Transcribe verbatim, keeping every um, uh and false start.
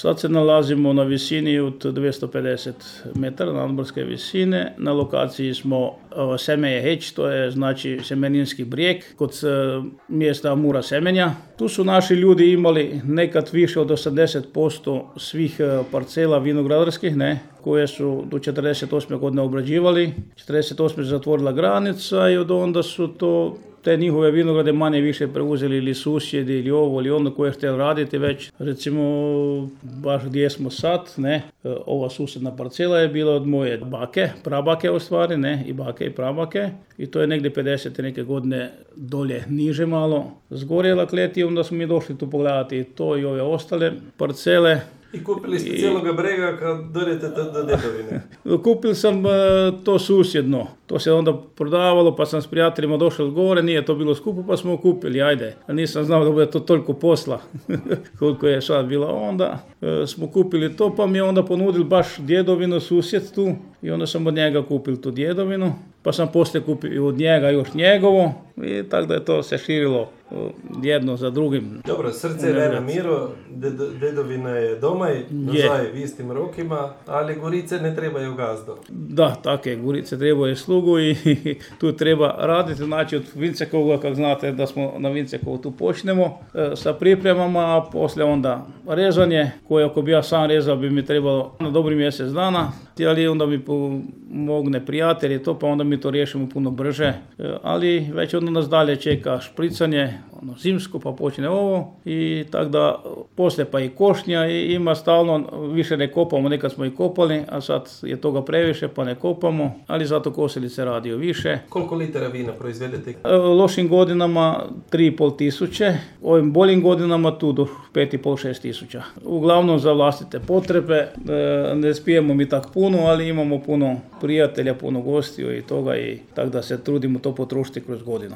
Sad se nalazimo na visini od dvjesto pedeset metara nadmorske visine. Na lokaciji smo Semeje Heć, to je znači Semeninski brijeg kod mjesta Mura Semenja. Tu su naši ljudi imali nekad više od osamdeset posto svih parcela vinogradarskih, ne, koje su do četrdeset osme godine obrađivali. četrdeset osme se zatvorila granica i od onda su to te njihove vinograde manje više preuzeli ili susjedi ili ovo ili ono koje htjeli raditi već. Recimo, baš gdje smo sad, ne, ova susjedna parcela je bila od moje bake, prabake u stvari, ne, i bake i prabake. I to je negdje pedeset neke godine dolje niže malo. Zgorjela klet i onda smo mi došli tu pogledati i to i ove ostale parcele. I kupili ste I... cijeloga brega kad dođete do, do Djedovine? Kupili sam uh, to susjedno. To se onda prodavalo pa sam s prijateljima došao gore, nije to bilo skupo pa smo kupili, ajde. A nisam znao da bude to toliko posla koliko je sad bilo. Onda uh, smo kupili to pa mi je onda ponudili baš Djedovinu susjed tu i onda sam od njega kupili tu Djedovinu. Pa sam poslije kupio od njega još njegovo i tako da je to se širilo jedno za drugim. Dobro, srce je na miru, Djedovina je doma i nazaj v istim rokima, ali Gorice ne trebaju gazdo. Da, tako je, Gorice trebaju slugu i tu treba raditi. Znači od Vincekovog, kako znate da smo na Vincekovu tu počnemo e, sa pripremama, a poslije onda rezanje, koje ako bi ja sam rezao bi mi trebalo na dobri mjesec dana, ali onda mi pomogne prijatelj i to, pa onda mi to riješimo puno brže, e, ali već onda nas dalje čeka špricanje, ono zimsko, pa počne ovo i tako da poslije pa i košnja i ima stalno, više ne kopamo, nekad smo i kopali, a sad je toga previše pa ne kopamo, ali zato kosilice radio više. Koliko litara vina proizvedete? Lošim godinama tri i pol tisuće, ovim boljim godinama tu do pet i pol, šest tisuća. Uglavnom za vlastite potrebe, ne spijemo mi tak puno, ali imamo puno prijatelja, puno gostiju i toga i tako da se trudimo to potrošiti kroz godinu.